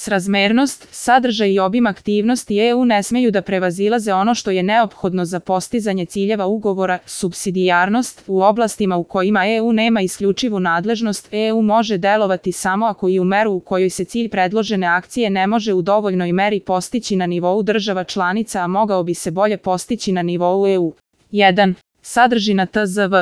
Srazmernost, sadržaj i obim aktivnosti EU ne smeju da prevazilaze ono što je neophodno za postizanje ciljeva ugovora. Supsidijarnost, u oblastima u kojima EU nema isključivu nadležnost, EU može delovati samo ako i u meru u kojoj se cilj predložene akcije ne može u dovoljnoj meri postići na nivou država članica, a mogao bi se bolje postići na nivou EU. 1. Sadržina TZV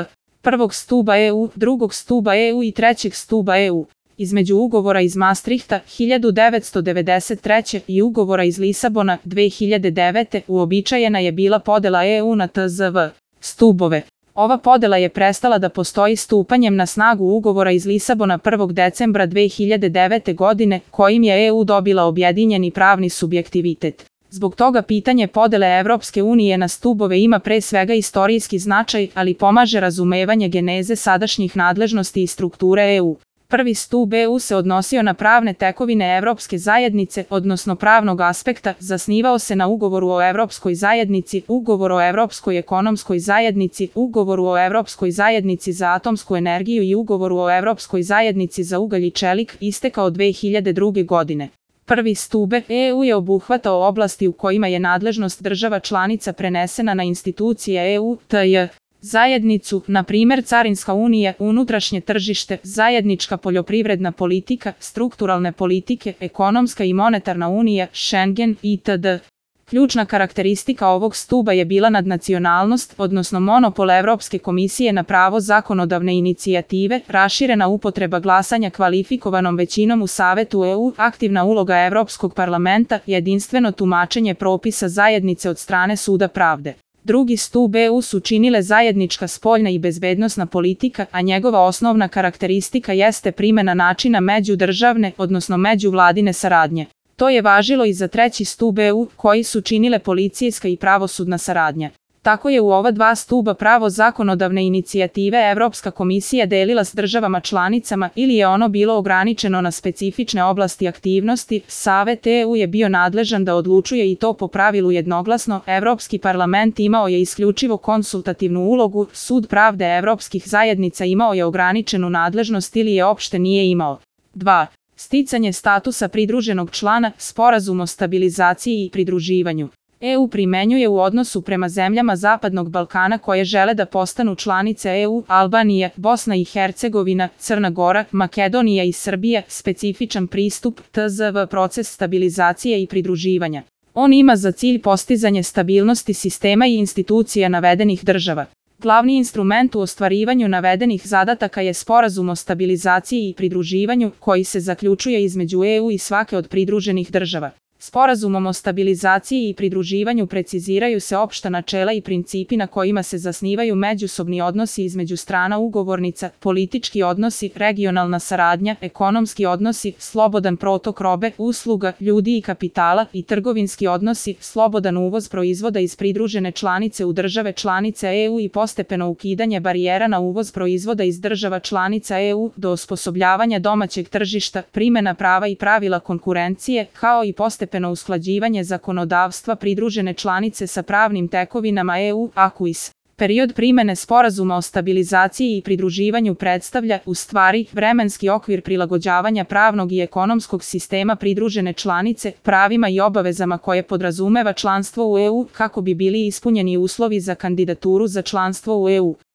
prvog stuba EU, drugog stuba EU i trećeg stuba EU. Između ugovora iz Maastrichta 1993. i ugovora iz Lisabona 2009. uobičajena je bila podela EU na TZV stubove. Ova podela je prestala da postoji stupanjem na snagu ugovora iz Lisabona 1. decembra 2009. godine, kojim je EU dobila objedinjeni pravni subjektivitet. Zbog toga pitanje podele Evropske unije na stubove ima pre svega istorijski značaj, ali pomaže razumevanje geneze sadašnjih nadležnosti i strukture EU. Prvi stub EU se odnosio na pravne tekovine Evropske zajednice, odnosno pravnog aspekta, zasnivao se na ugovoru o Evropskoj zajednici, ugovoru o Evropskoj ekonomskoj zajednici, ugovoru o Evropskoj zajednici za atomsku energiju i ugovoru o Evropskoj zajednici za ugalj i čelik, istekao 2002. godine. Prvi stub EU je obuhvatao oblasti u kojima je nadležnost država članica prenesena na institucije EU, tj. zajednicu, na primjer Carinska unija, unutrašnje tržište, zajednička poljoprivredna politika, strukturalne politike, ekonomska i monetarna unija, Schengen, itd. Ključna karakteristika ovog stuba je bila nadnacionalnost, odnosno monopol Evropske komisije na pravo zakonodavne inicijative, raširena upotreba glasanja kvalifikovanom većinom u Savetu EU, aktivna uloga Evropskog parlamenta, jedinstveno tumačenje propisa zajednice od strane Suda pravde. Drugi stub EU su činile zajednička spoljna i bezbednosna politika, a njegova osnovna karakteristika jeste primjena načina međudržavne, odnosno međuvladine saradnje. To je važilo i za treći stub EU, koji su činile policijska i pravosudna saradnja. Tako je u ova dva stuba pravo zakonodavne inicijative Evropska komisija delila s državama članicama ili je ono bilo ograničeno na specifične oblasti aktivnosti. Savet EU je bio nadležan da odlučuje i to po pravilu jednoglasno. Evropski parlament imao je isključivo konsultativnu ulogu, Sud pravde Evropskih zajednica imao je ograničenu nadležnost ili je opšte nije imao. 2. Sticanje statusa pridruženog člana, Sporazum o stabilizaciji i pridruživanju. EU primenjuje u odnosu prema zemljama Zapadnog Balkana koje žele da postanu članice EU, Albanija, Bosna i Hercegovina, Crna Gora, Makedonija i Srbija, specifičan pristup TZV proces stabilizacije i pridruživanja. On ima za cilj postizanje stabilnosti sistema i institucija navedenih država. Glavni instrument u ostvarivanju navedenih zadataka je Sporazum o stabilizaciji i pridruživanju, koji se zaključuje između EU i svake od pridruženih država. Sporazumom o stabilizaciji i pridruživanju preciziraju se opšta načela i principi na kojima se zasnivaju međusobni odnosi između strana ugovornica, politički odnosi, regionalna saradnja, ekonomski odnosi, slobodan protok robe, usluga, ljudi i kapitala i trgovinski odnosi, slobodan uvoz proizvoda iz pridružene članice u države članice EU i postepeno ukidanje barijera na uvoz proizvoda iz država članica EU do osposobljavanja domaćeg tržišta, primjena prava i pravila konkurencije, kao i postepeno usklađivanje zakonodavstva pridružene članice sa pravnim tekovinama EU, ACUIS. Period primjene Sporazuma o stabilizaciji i pridruživanju predstavlja, u stvari, vremenski okvir prilagođavanja pravnog i ekonomskog sistema pridružene članice, pravima i obavezama koje podrazumeva članstvo u EU, kako bi bili ispunjeni uslovi za kandidaturu za članstvo u EU.